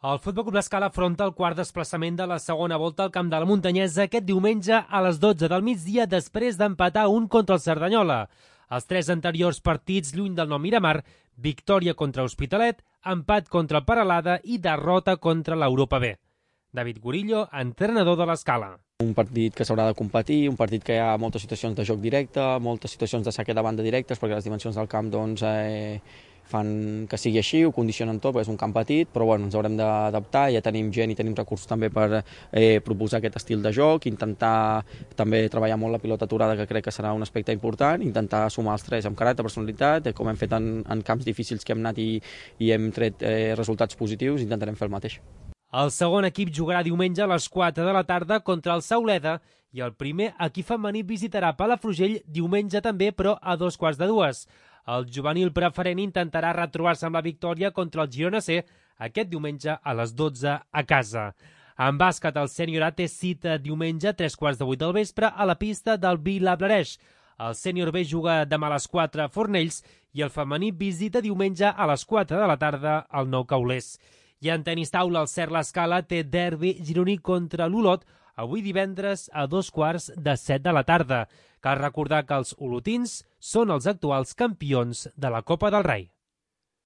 El Futbol Club L'Escala afronta el quart desplaçament de la segona volta al Camp de la Muntanyesa aquest diumenge a les 12 del migdia després d'empatar 1 contra el Cerdanyola. Els 3 anteriors partits lluny del Nou Miramar, victòria contra Hospitalet, empat contra el Peralada i derrota contra l'Europa B. David Gurillo, entrenador de l'Escala. Un partit que s'haurà de competir, un partit que hi ha moltes situacions de joc directe, moltes situacions de saque de banda directes, perquè les dimensions del camp fan que sigui així, ho condicionen tot, perquè és un camp petit, però bueno, ens haurem d'adaptar, ja tenim gent i tenim recursos també per proposar aquest estil de joc, intentar també treballar molt la pilota aturada, que crec que serà un aspecte important, intentar sumar els 3 amb caràcter, personalitat, com hem fet en camps difícils que hem anat i hem tret resultats positius, intentarem fer el mateix. El segon equip jugarà diumenge a les 4 de la tarda contra el Sauleda i el primer equip femení visitarà Palafrugell diumenge també, però a 2:15. El juvenil preferent intentarà retrobar-se amb la victòria contra el Girona C aquest diumenge a les 12 a casa. En bàsquet, el sènior A té cita diumenge a 3:15 del vespre a la pista del Vilablareix. El sènior B juga demà a les 4 a Fornells i el femení visita diumenge a les 4 de la tarda al Nou Caulers. I en tenis taula, el Cert L'Escala té derbi gironí contra l'Olot avui divendres a 6:45 de la tarda. Cal recordar que els olotins són els actuals campions de la Copa del Rei.